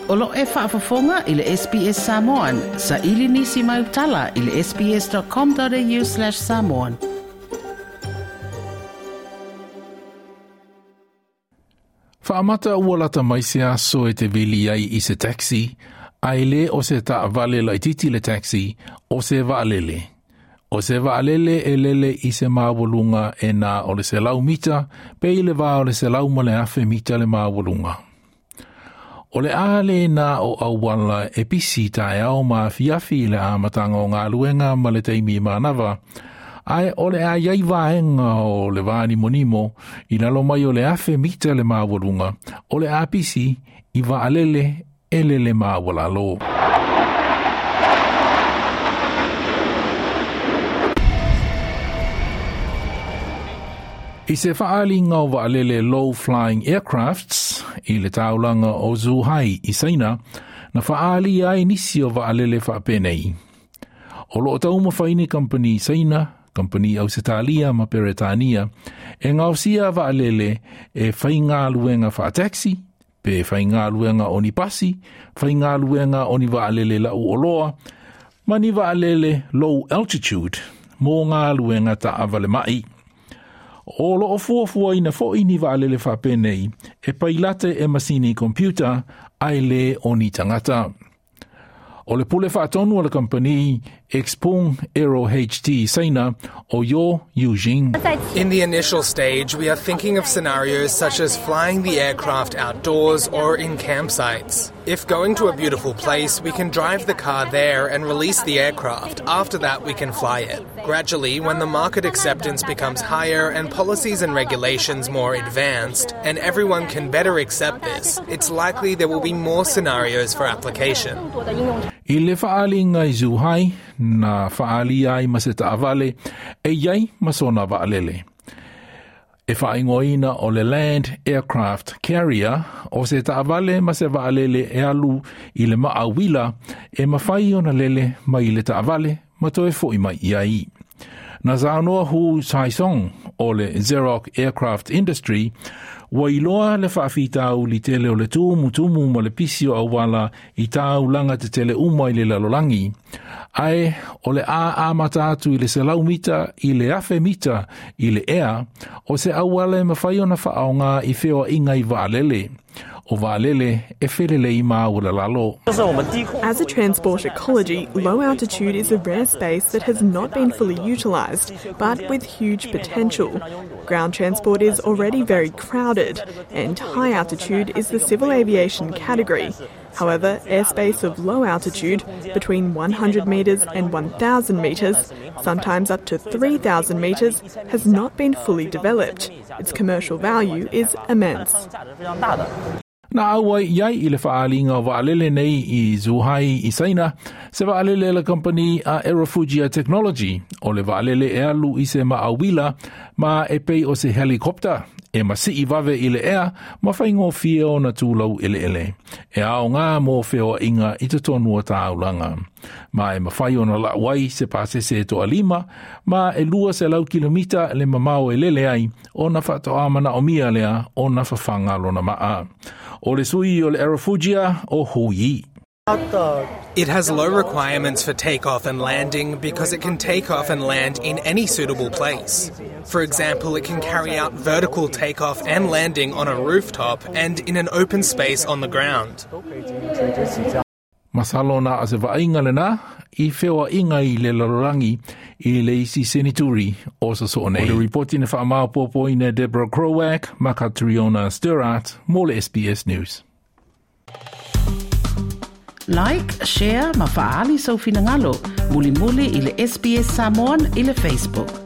O lo e faafofoga i le SBS Samoan. Sa ili nisi mai utala i le sbs.com.au/samoan. Faamata ua lata mai se aso e te vili ai i se taxi, a e le o se taavale laititi le taxi, o se vaalele. O se vaalele e lele i se maualuga e na o le 100 mita, pe i le va o le 101,000 mita le maualuga. O le a le na o auala e pisi taeao ma afiafi i le amataga o galuega ma le taimi manava, ae o le a iai vaega o le vānimonimo i lalo mai o le 1,000 mita le maualuga, o le a pisi i vaalele e lele maualalo. I se faaaliga o vaalele Low Flying Aircrafts i le taulaga o Zhuhai i Saina, na faaalia ai nisi o vaalele faapenei. O loo taumafai ni kampani Saina, kampani Ausetalia ma Peretania, e gaosia vaalele e faigaluega faataxi, pe faigaluega o ni pasi, faigaluega o ni vaalele lau oloa, ma ni vaalele low altitude mo galuega taavale mai. O loo fuafuaina foi ni vaalele faapenei e pailate e masini computer ae le o ni tagata. O le pule faatonu o le kampani Xpeng Aero HT Saina o Yo Yujing. In the initial stage, we are thinking of scenarios such as flying the aircraft outdoors or in campsites. If going to a beautiful place, we can drive the car there and release the aircraft. After that, we can fly it. Gradually, when the market acceptance becomes higher and policies and regulations more advanced, and everyone can better accept this, it's likely there will be more scenarios for application. I le faaaliga i Zhuhai, na faaalia ai ma se taavale, e iai ma sona vaalele. E faaigoaina o le Land Aircraft Carrier o se taavale ma se vaalele e alu i le maauila e mafai ona lele mai le taavale ma toe foi mai i ai. Na saunoa Hu Saisong o le Xerox Aircraft Industry, ua iloa le faafitauli tele o le tumutumu ma le pisi o auala i taulaga tetele uma i le lalolagi. Ae o le a amata atu i le 100 mita i le 1,000 mita i le ea, o se auala e mafai ona faaaoga i feoaiga i vaalele. O vaalele e felelei maualalalo. As a transport ecology, low altitude is a rare space that has not been fully utilised, but with huge potential. Ground transport is already very crowded, and high altitude is the civil aviation category. However, airspace of low altitude, between 100 metres and 1,000 metres, sometimes up to 3,000 metres, has not been fully developed. Its commercial value is immense. Na auai iai i le faaaliga o vaalele nei i Zhuhai i Saina, se vaalele a le kampani a Aerofugia Technology, o le vaalele e alu i se maauila ma e pei o se helicopter, e masii vave i le ea ma faigofie ona tulau eleele. E aoga mo feoaiga i totonu o taulaga. Ma e mafai ona lau ai se pasese e toalima, ma e 200 kilomita le mamao e lele ai, ona faatoa manaomia lea ona fafaga lona maa. O le sui o le Aerofugia o Hu Yi. It has low requirements for takeoff and landing because it can take off and land in any suitable place. For example, it can carry out vertical takeoff and landing on a rooftop and in an open space on the ground. Masalo na o se vaaiga lena i feoaiga i le lalolagi i le isi senituri o sosoo nei. O le ripoti na faamaopoopoina e Deborah Krowak ma Catriona Sturart mo le SBS News. Like, share ma faaali sou finagalo. Mulimuli i le SBS Samoan i le Facebook.